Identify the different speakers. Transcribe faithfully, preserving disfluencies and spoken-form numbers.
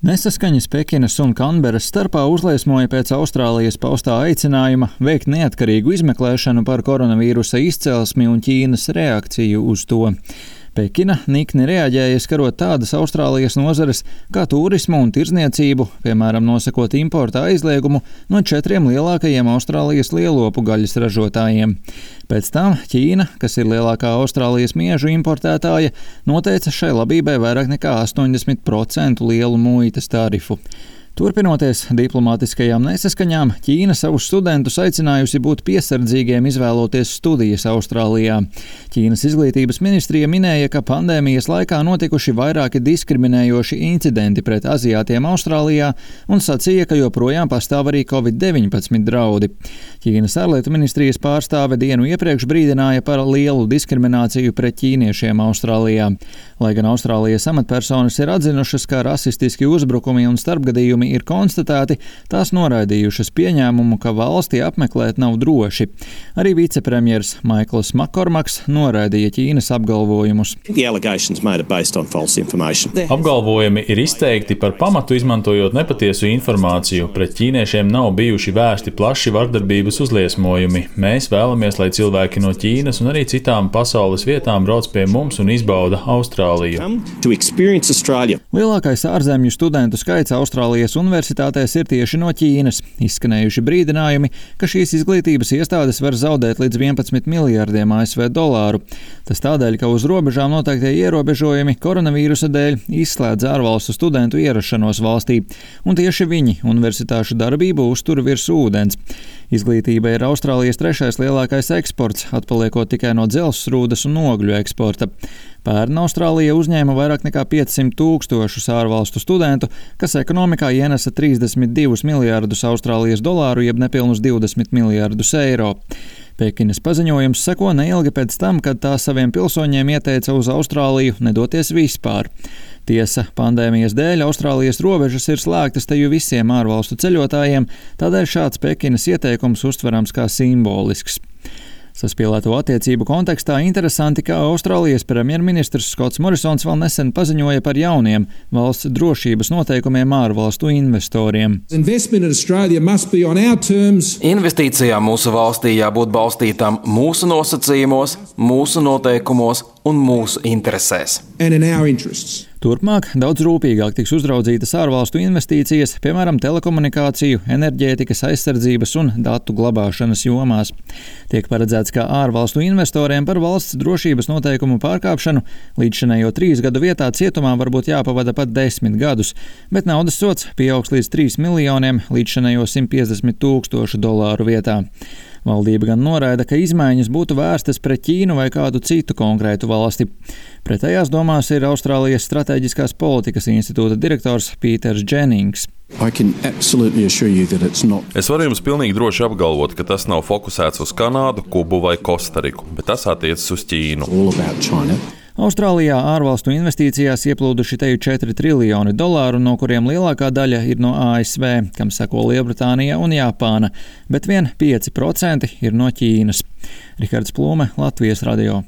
Speaker 1: Nesaskaņas Pekinas un Kanberas starpā uzliesmoja pēc Austrālijas paustā aicinājuma veikt neatkarīgu izmeklēšanu par koronavīrusa izcelsmi un Ķīnas reakciju uz to. Pekina nikni reaģēja, skarot tādas Austrālijas nozares kā turismu un tirdzniecību, piemēram, nosakot importa aizliegumu no četriem lielākajiem Austrālijas lielopu gaļas ražotājiem. Pēc tam Ķīna, kas ir lielākā Austrālijas miežu importētāja, noteica šai labībai vairāk nekā astoņdesmit procentu lielu muitas tarifu. Turpinoties diplomātiskajām nesaskaņām, Ķīna savus studentus aicinājusi būt piesardzīgiem izvēloties studijas Austrālijā. Ķīnas izglītības ministrija minēja, ka pandēmijas laikā notikuši vairāki diskriminējoši incidenti pret aziātiem Austrālijā un sacīja, ka joprojām pastāv arī covid deviņpadsmit draudi. Ķīnas ārlietu ministrijas pārstāve dienu iepriekš brīdināja par lielu diskrimināciju pret ķīniešiem Austrālijā. Lai gan Austrālijas amatpersonas ir atzinušas, ka rasistiski uzbrukumi un starpgadījumi ir konstatēti, tās noraidījušas pieņēmumu, ka valsti apmeklēt nav droši. Arī vicepremjers Maikls Makormaks noraidīja Ķīnas apgalvojumus.
Speaker 2: Apgalvojumi ir izteikti par pamatu izmantojot nepatiesu informāciju. Pret ķīniešiem nav bijuši vērsti plaši vardarbības uzliesmojumi. Mēs vēlamies, lai cilvēki no Ķīnas un arī citām pasaules vietām brauc pie mums un izbauda Austrāliju.
Speaker 1: Lielākais ārzemju studentu skaits Austrālijas universitātēs ir tieši no Ķīnas. Izskanējuši brīdinājumi, ka šīs izglītības iestādes var zaudēt līdz vienpadsmit miljardiem A S V dolāru. Tas tādēļ, ka uz robežām noteiktie ierobežojumi koronavīrusa dēļ izslēdz ārvalstu studentu ierašanos valstī, un tieši viņi universitāšu darbību uztur virs ūdens. Izglītība ir Austrālijas trešais lielākais eksports, atpaliekot tikai no dzelzsrūdas un ogļu eksporta. Pērn Austrālija uzņēma vairāk nekā piecsimt tūkstošus ārvalstu studentu, kas ekonomikā ienesa trīsdesmit divus miljārdus Austrālijas dolāru, jeb nepilnus divdesmit miljārdus eiro. Pekinas paziņojums seko neilgi pēc tam, kad tā saviem pilsoņiem ieteica uz Austrāliju nedoties vispār. Tiesa, pandēmijas dēļ Austrālijas robežas ir slēgtas teju visiem ārvalstu ceļotājiem, tādēļ šāds Pekinas ieteikums uztverams kā simbolisks. Saspīlēto attiecību kontekstā interesanti, ka Austrālijas premjerministrs Skots Morisons vēl nesen paziņoja par jauniem valsts drošības noteikumiem ārvalstu investoriem.
Speaker 3: Investīcijām mūsu valstī jābūt balstītām mūsu nosacījumos, mūsu noteikumos un mūsu interesēs.
Speaker 1: Turpmāk daudz rūpīgāk tiks uzraudzītas ārvalstu investīcijas, piemēram, telekomunikāciju, enerģētikas, aizsardzības un datu glabāšanas jomās. Tiek paredzēts, ka ārvalstu investoriem par valsts drošības noteikumu pārkāpšanu līdzšinējo trīs gadu vietā cietumā varbūt jāpavada pat desmit gadus, bet naudas sods pieaugs līdz trīs miljoniem līdzšinējo simt piecdesmit tūkstošu dolāru vietā. Valdība gan noraida, ka izmaiņas būtu vērstas pret Ķīnu vai kādu citu konkrētu valsti. Pretējās domās ir Austrālijas Stratēģiskās politikas institūta direktors Pīters Dženings.
Speaker 4: Es varu jums pilnīgi droši apgalvot, ka tas nav fokusēts uz Kanādu, Kubu vai Kostariku, bet tas attiecas uz Ķīnu.
Speaker 1: Austrālijā ārvalstu investīcijās ieplūduši teju četri triljoni dolāru, no kuriem lielākā daļa ir no A S V, kam seko Lielbritānija un Japāna, bet vien pieci procenti ir no Ķīnas. Rihards Plūme, Latvijas radio.